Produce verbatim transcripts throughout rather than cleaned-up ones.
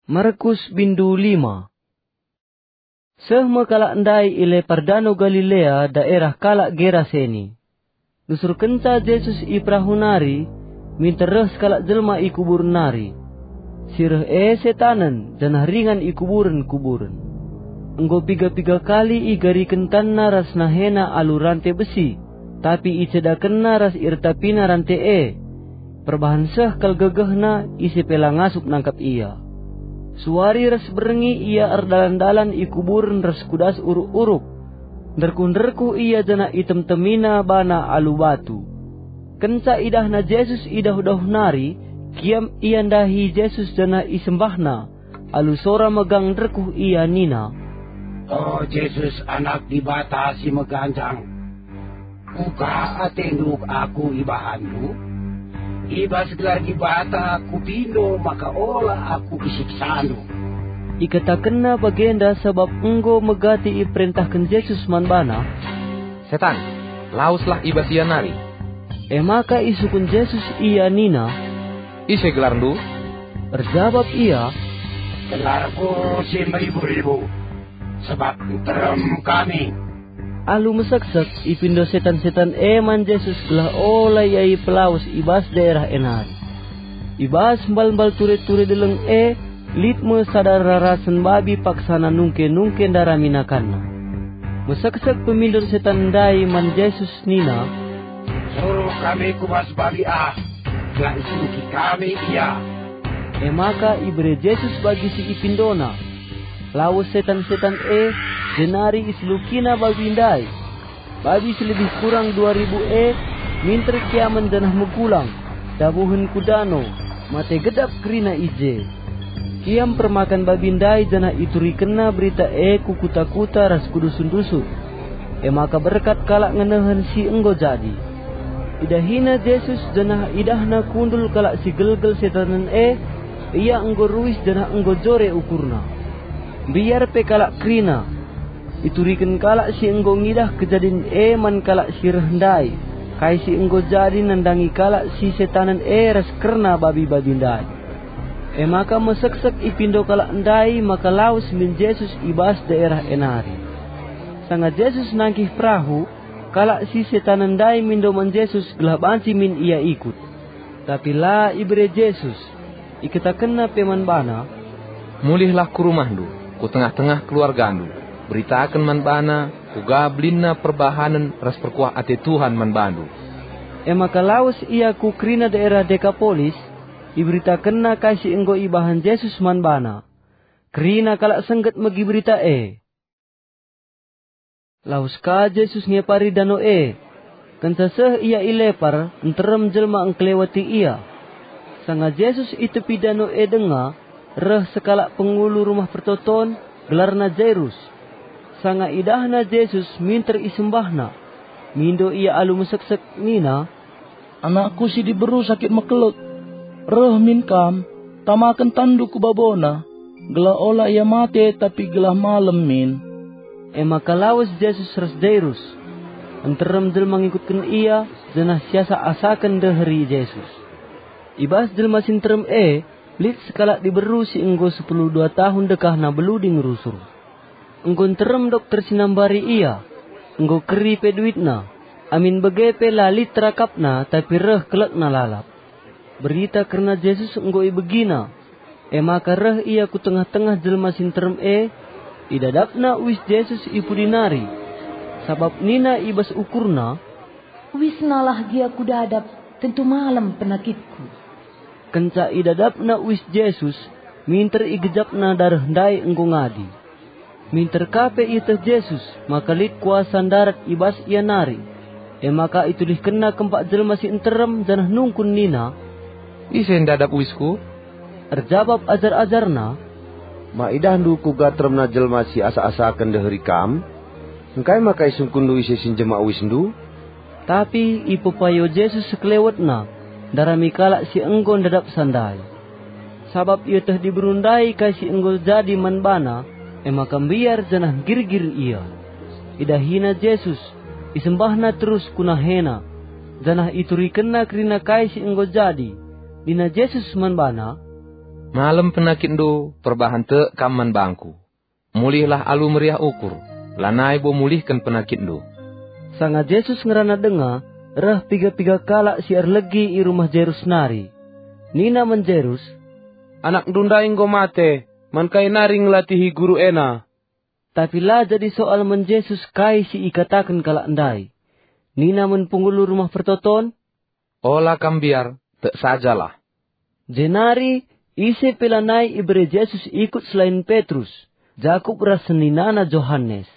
Markus bindu lima. Seh me kalak ndai i lepar Dano Galilea, daerah kalak Geraseni. Nusurkenca Jesus i perahu nari, minter reh sekalak jelma i kuburen nari. Si reh e setanen, janah ringan i kuburen-kuburen. Enggo piga-piga kali igariken tanna ras nahena alu rante besi, tapi icedakenna ras irtapina rante e. Perbahan seh kal gegehna, ise pe la ngasup nangkap ia. Suari ras berngi ia erdalan-dalan i kuburen ras ku das uruk-uruk. Nderkuh-nderkuh ia janah item-temina bana alu batu. Kenca idahna Jesus i dauh-dauh nari, kiam ia ndahi Jesus janah isembahna. Alu sora megang nderkuh ia nina, "O Jesus, Anak Dibata si meganjang, kuga atendu aku ibahanndu? I bas gelar Dibata kupindo maka ola aku isiksandu." Ikatakenna bagenda sabap enggo megati iperentahken Jesus man bana. "Setan, laweslah i bas ia nari!" E maka isungkun Jesus ia nina, "Ise gelarndu?" Erjabap ia, "Gelarku si meribu-ribu, sebab nterem kami." Alu meseksek, ipindo setan-setan e man Jesus gelah ola ia ipelawes i bas daerah e nari. I bas mbal-mbal ture-ture deleng e, lit me sada rarasen babi paksana nungke-nungke ndarami nakanna. Meseksek pemindo setan ndai man Jesus nina, "Suruh kami ku bas babi ah, gelah iseluki kami ia." E maka ibere Jesus babi si ipindona. Lawes setan-setan e, jenari iselukina babi ndai. Babi si lebih kurang dua ribu e minter kiamen janah megulang, dabuhen ku dano, mate gedap kerina i je. Kiam permakan babi ndai janah iturikenna berita e ku kuta-kuta ras ku dusun-dusun. E maka berkat kalak ngenehen si enggo jadi. Idahina Jesus janah idahna kundul kalak si gelgel setanen e, ia enggo ruis janah enggo jore ukurna. Mbiar pe kalak kerina. Ituriken kalak si enggo ngidah kejadin e man kalak si reh ndai, kai si enggo jadi nandangi kalak si setanen e ras kerna babi-babi ndai. E maka meseksek ipindo kalak ndai maka lawes min Jesus i bas daerah e nari. Sanga Jesus nangkih perahu, kalak si setanen ndai mindo man Jesus gelah banci min ia ikut. Tapi la ibere Jesus. Ikatakenna pe man bana, "Mulihlah ku rumahndu, ku tengah-tengah keluargandu, beritaken man bana kuga belinna perbahanen ras perkuah ate Tuhan man bandu." E maka lawes ia ku kerina daerah Dekapolis, iberitakenna kai si enggo ibahan Jesus man bana. Kerina kalak sengget megi berita e. Lawes ka Jesus ngepari dano e. Kenca seh ia i lepar, nterem jelma engkeleweti ia. Sanga Jesus i tepi dano e denga, reh sekalak pengulu Rumah Pertoton, gelarna Jairus. Sanga idahna Jesus, minter isembahna. Mindo ia alu meseksek nina, "Anakku si diberu sakit mekelek. Reh min kam, tamaken tanndu ku babona, gelah ola ia mate tapi gelah malem min." E maka lawes Jesus ras Jairus. Nterem jelma ngikutken ia, janah siasak-asaken ndeheri Jesus. I bas jelma si nterem e, lit sekalak diberu si enggo sepuluh dua tahun dekahna beluding rusur. Enggo nterem dokter si nambari ia, enggo keri pe duitna, amin bage pe la lit terakapna tapi reh kelekna lalap. Berita kerna Jesus enggo ibegina, e maka reh ia ku tengah-tengah jelma si nterem e, idadapna uis Jesus i pudi nari, sabap nina i bas ukurna, "Uisnalah gia kudadap, tentu malem penakitku." Kenca idadapna uis Jesus, minter igejapna dareh ndai enggo ngadi. Minter ka pe ieteh Jesus maka lit kuasa ndarat i bas ia nari. E maka itulihkenna kempak jelma si nterem janah nungkun nina, "Ise ndadap uisku?" Erjabap ajar-ajarNa, "Ma idahndu kuga teremna jelma si asak-asaken ndeheri Kam? Engkai maka isungkunndu ise si njema uisndu?" Tapi ipepayo Jesus sekelewetna, ndarami kalak si enggo ndadapsa ndai. Sabap ieteh diberu ndai kai si enggo jadi man bana, e maka mbiar janah nggirgir ia. Idahina Jesus, isembahna terus ku nahena, janah iturikenna kerina kai si enggo jadi. Nina Jesus man bana, "Malem penakitndu, perbahan tek kam man bangku. Mulihlah alu meriah ukur, lanai bo mulihken penakitndu." Sanga Jesus ngerana denga, reh piga-piga kalak si erlegi i rumah Jairus nari. Nina man Jairus, "Anakndu ndai enggo mate, man kai nari ngelatihi guru ena?" Tapi la jadi soal man Jesus kai si ikataken kalak ndai. Nina man pengulu rumah pertoton, "Ola kam mbiar, tek sajalah." Jenari ise pe lanai ibere Jesus ikut selain Petrus, Jakup ras seninana Johanes.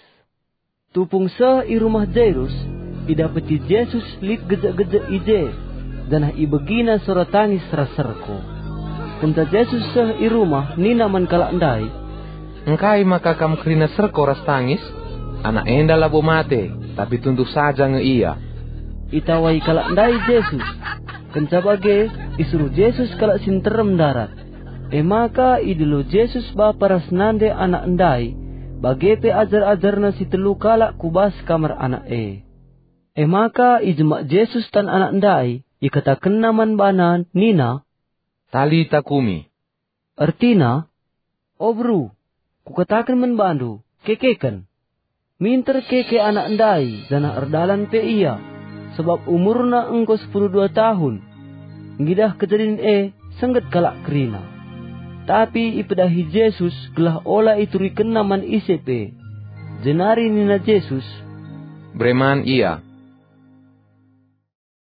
Tupung seh i rumah Jairus, idapeti Jesus lit gejek-gejek i je, janah ibegina sora tangis ras serko. Kenca Jesus seh i rumah nina man kalak ndai, "Engkai maka kam kerina serko ras tangis? Anak enda labo mate, tapi tunduh saja nge ia." Itawai kalak ndai Jesus. Kenca bage, isuruh Jesus kalak si nterem ndarat. E maka idilo Jesus bapa ras nande anak ndai, bage pe ajar-ajarNa si telu kalak ku bas kamar anak e. E maka ijemak Jesus tan anak ndai, ikatakenNa man bana nina, "Talita kumi." Ertina, "O beru, kukataken man bandu, kekeken." Minter keke anak ndai, janah erdalan pe ia, sabap umurna enggo sepuluh dua tahun. Ngidah kejadin e, sengget kalak kerina. Tapi ipedahi Jesus gelah ola iturikenna man ise pe. Jenari nina Jesus, "Bere man ia."